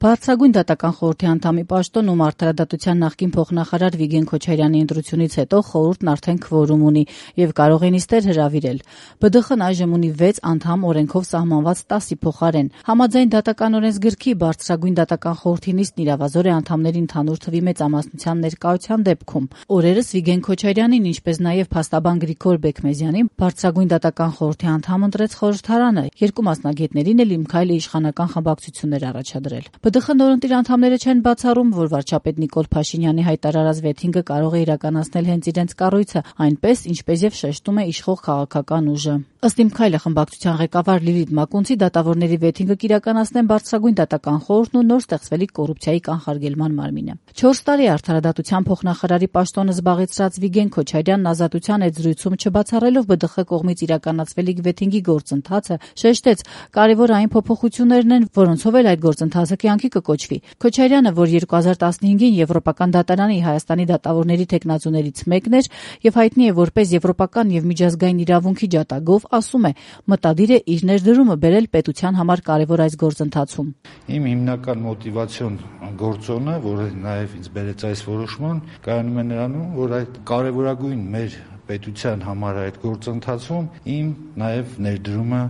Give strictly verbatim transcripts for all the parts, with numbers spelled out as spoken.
Բարձրագույն դատական խորհրդի անդամի պաշտոն ում արդարադատության նախկին փոխնախարար Վիգեն Քոչարյանի ընտրությունից հետո խորհուրդն արդեն քվորում ունի եւ կարող է նիստեր հրավիրել։ Բը դե խն այժմ ունի վեց անդամ օրենքով սահմանված տասի փոխարեն։ Համաձայն դատական օրենսգրքի բարձրագույն դատական խորհրդի նիստն իրավազոր է անդամների ընդհանուր թվի մեծամասնության ներկայության դեպքում։ Օրերս Վիգեն Քոչարյանին, ինչպես նաեւ փաստաբան Գրիգոր Բեկմեզյանին բարձրագույն դատական խորհրդի անդամ ընտրեց խորհրդարանը, երկու մասնագետներին էլ Իմքայլը իշխանական խմբակցություններ առաջադրել։ Բը դե խն նորընտիր անդամները չեն բացառում, որ վարչապետ Նիկոլ Փաշինյանի հայտարարած վեթինգը կարող է իրականացնել հենց իրենց կառույցը, այնպես ինչպես եւ շեշտում է իշխող քաղաքական ուժը։ Ըստ Իմքայլը խմբակցության ղեկավար Լիլիթ Մակունցի դատավորների վեթինգը կիրականացնեն բարձրագույն դատական խորհուրդն ու նոր ստեղծվելիք կոռուպցիայի կանխարգելման մարմինը։ չորս տարի արդարադատության փոխնախարարի պաշտոնը զբաղեցրած Վիգեն Քոչարյանն ազատության այդ զրույցում չբացառելով Բը դե խ կողմից իրականացվելիք վեթինգի գործընթացը շեշտեց, կարևոր այն փոփոխություններն են, որոնցով էլ այդ գործընթացը կյանքի կկոչվի։ Քոչարյանը, որ երկու հազար տասնհինգին Եվրոպական դատարանի Հայաստանի դատավորների թեկնածուներից մեկն էր եւ հայտնի է որպես եվրոպական եւ միջազգային իրավունքի ջատագով, ասում է, մտադիր է իր ներդրումը բերել պետության համար կարևոր այս գործընթացում։ Իմ հիմնական մոտիվացիոն գործոնը, որը նաեւ ինձ բերեց այս որոշման, կայանում է նրանում, որ այդ կարևորագույն մեր պետության համար այդ գործընթացում իմ նաև ներդրումը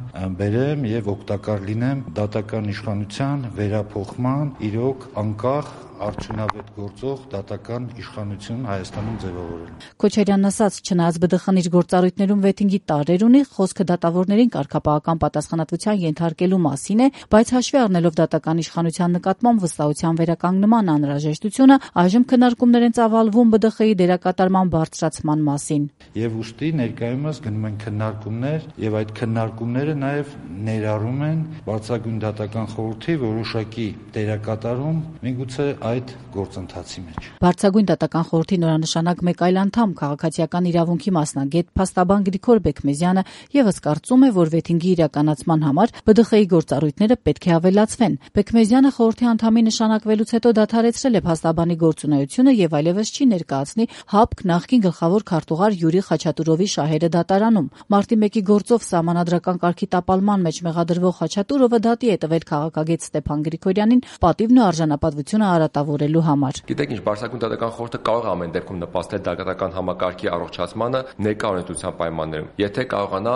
բերեմ եւ օգտակար լինեմ դատական իշխանության վերափոխման, իրոք անկախ արդյունավետ գործող դատական իշխանություն Հայաստանում ձևավորել։ Քոչարյանն ասաց, չնայած Բը դե խն իր գործառույթներում վեթինգի տարրեր ունի, խոսքը դատավորներին կարգապահական պատասխանատվության ենթարկելու մասին է, բայց հաշվի առնելով դատական իշխանության նկատմամբ վստահության վերականգնման անհրաժեշտությունը, այժմ քննարկումներ են ծավալվում Բը դե խ-ի դերակատարման բարձրացման մասին։ Եվ ուստի ներկայումս գնում են քննարկումներ եւ այդ քննարկումները նաեւ ներառում են բարձրագույն դատական խորհրդի որոշակի դերակատարում միգուցե այդ գործընթացի մեջ։ Բարձրագույն դատական խորհրդի նորանշանակ մեկ այլ անդամ քաղաքացիական իրավունքի մասնագետ փաստաբան Գրիգոր Բեկմեզյանը եւս կարծում է, որ վեթինգի իրականացման համար Բը դե խ-ի գործառույթները պետք է ավելացվեն։ Բեկմեզյանը խորհրդի անդամի նշանակվելուց հետո դադարեցրել է փաստաբանի գործունեությունը եւ այլևս չի ներկայացնի ՀԱՊԿ նախկին գլխավոր քարտուղար Յուրի Խաչատուրովի շահերը դատարանում։ Մարտի մեկի գործով սահմանադրական կարգի տապալման մեջ մեղադրվող Խաչատուրովը դատի է տվել քաղաքագետ Ստեփան Գրիգորյանին պատիվն ու արժանապատվությունը արատավորելու համար։ Գիտեք ինչ, բարձրագույն դատական խորհուրդը կարող է ամեն դեպքում նպաստել դատական համակարգի առողջացմանը ներկա օրենսդրության պայմաններում, եթե կարողանա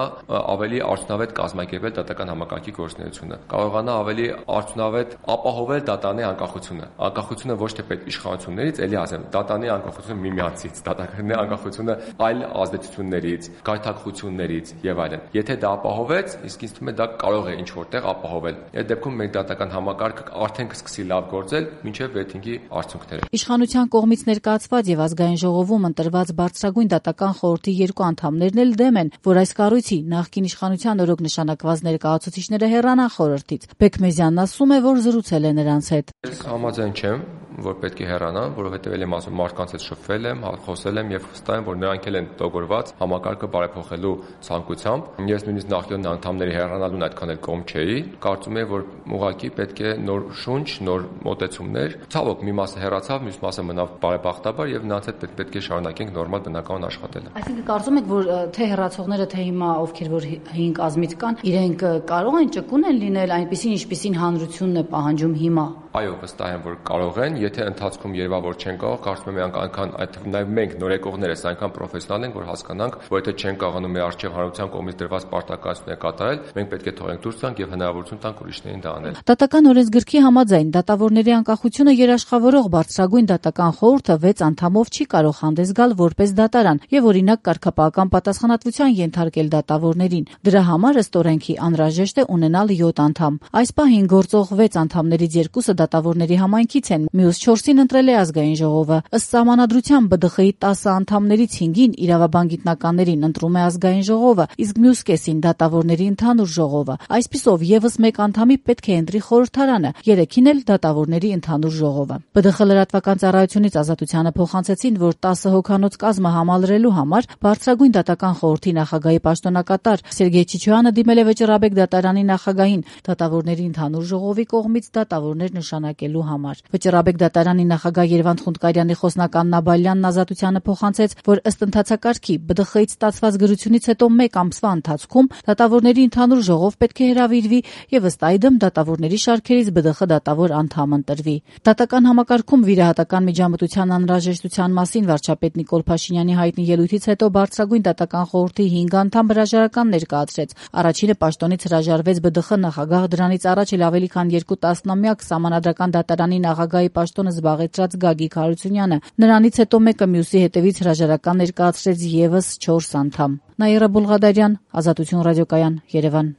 ավելի արդյունավետ կազմակերպել դատական համակարգի գործունեությունը, կարողանա ավելի արդյունավետ ապահովել դատանի անկախությունը։ Անկախությունը ոչ թե պետ իշխանություններից, ելի ասեմ, դատանի անկախությունը միմյանցից, դատանի անկախությունը այլ ազդեցություններից, գայթակղություններից եւ այլն։ Եթե դա ապահովեց, իսկ ինձ թվում է դա կարող է ինչ որտեղ ապահովել։ Այդ դեպքում մենք դատական համակարգը արդեն կսկսի լավ գործել մինչեւ վեթինգի արդյունքները։ Իշխանության կողմից ներկայացված եւ ազգային ժողովում ընտրված բարձրագույն դատական խորհրդի երկու անդամներն էլ դեմ են, որ այս կառույցի նախկին իշխանության օրոք նշանակված ներկայացուցիչները հեռանան խորհրդից։ Բեկմեզյանն ասում է, որ զրուցել է նրանց հետ։ Ես համաձայն չեմ, որ պետք է հեռանան, որովհետև ել եմ ասում մարդկանց հետ շփվել եմ, խոսել եմ եւ վստահ եմ, որ նրանք էլ են տողորված համակարգը բարեփոխելու ցանկությամբ։ Ես նույնիսկ նախկին անդամների հեռանալուն այդքան էլ կողմ չէի։ Կարծում եմ, որ ուղղակի պետք է նոր շունչ, նոր մոտեցումներ։ Ցավոք, մի մասը հեռացավ, մյուս մասը մնավ բարեբախտաբար եւ նրանց հետ պետք պետք է շարունակենք նորմալ բնականon աշխատելը։ Այսինքն կարծում եք, որ թե հեռացողները, թե հիմա ովքեր որ հին կազմից կան, իրենք կարող են ճկուն են լինել այնպեսին, ինչպեսին հանրությունն է պահանջում հիմա։ Այո, վստահ եմ, որ կարող են, եթե ընթացքում երևա որ չեն կարող, կարծում եմ այնքան այդ նաև մենք նորեկողներս այնքան պրոֆեսիոնալ ենք, որ հասկանանք, որ եթե չեն կարողանում մեր արժեվ հանրության կողմից դրված պարտականությունները կատարել, մենք պետք է թողենք դուրս գանք եւ հնարավորություն տանք ուրիշներին դա անել։ Դատական օրենսգրքի համաձայն դատավորների անկախությունը երաշխավորող բարձրագույն դատական խորհուրդը վեց անդամով չի կարող հանդես գալ որպես դատարան եւ օրինակ կարգապահական պատասխանատվության ենթարկել դատավորներին։ Դրա համար ըստ օրենքի անհրաժեշտ է ունենալ յոթ անդամ։ Այս պահին գործող վեց անդամներից երկուսը դատավորների համայնքից են, մյուս չորսին ընտրել է ազգային ժողովը։ Ըստ սահմանադրության Բը դե խ-ի տասը անդամներից հինգին իրավաբան գիտնականներին ընտրում է ազգային ժողովը, իսկ մյուս կեսին դատավորների ընդհանուր ժողովը։ Այսպիսով եւս մեկ անդամի պետք է ընտրի խորհրդարանը, երեքին էլ դատավորների ընդհանուր ժողովը։ Բը դե խ լրատվական ծառայությունից ազատությանը փոխանցեցին, որ տասը հոգանոց կազմը համալրելու համար բարձրագույն դատական խորհրդի նախագահի պաշտոնակատար Սերգեյ Չիչոյանը դիմել է Վճռաբեկ դատարանի նախագահին։ Դատավորների ընդհանուր ժողովի կողմից դատավորներ նշան նշանակելու համար։ Վճռաբեկ դատարանի նախագահ Երվանդ Խունդկարյանի խոսնական Նաբալյանն Ազատությանը փոխանցեց, որ ըստ ընթացակարգի Բ Դ Խ-ից ստացված գրությունից հետո մեկ ամսվա ընթացքում դատավորների ընդհանուր ժողով պետք է հրավիրվի եւ ըստ այդմ դատավորների շարքերից Բ Դ Խ դատավոր անդամ ընտրվի։ Դատական համակարգում վիրահատական միջամտության անհրաժեշտության մասին վարչապետ Նիկոլ Փաշինյանի հայտնի ելույթից հետո բարձրագույն դատական խորհրդի հինգ անդամ հրաժարական ներկայացրեց։ Առաջինը պաշտոնից հրաժարվեց Բ Դ Խ նախագահ, դրանից առաջ էլ ավելի քան երկու տասնամյակ Սահմանադրական դատարանի նախագահի պաշտոնը զբաղեցրած Գագիկ Հարությունյանը։ Նրանից հետո մեկը մյուսի հետևից հրաժարական ներկայացրեց եւս չորս անդամ։ Նաիրա Բուլղադարյան, Ազատություն ռադիոկայան, Երևան։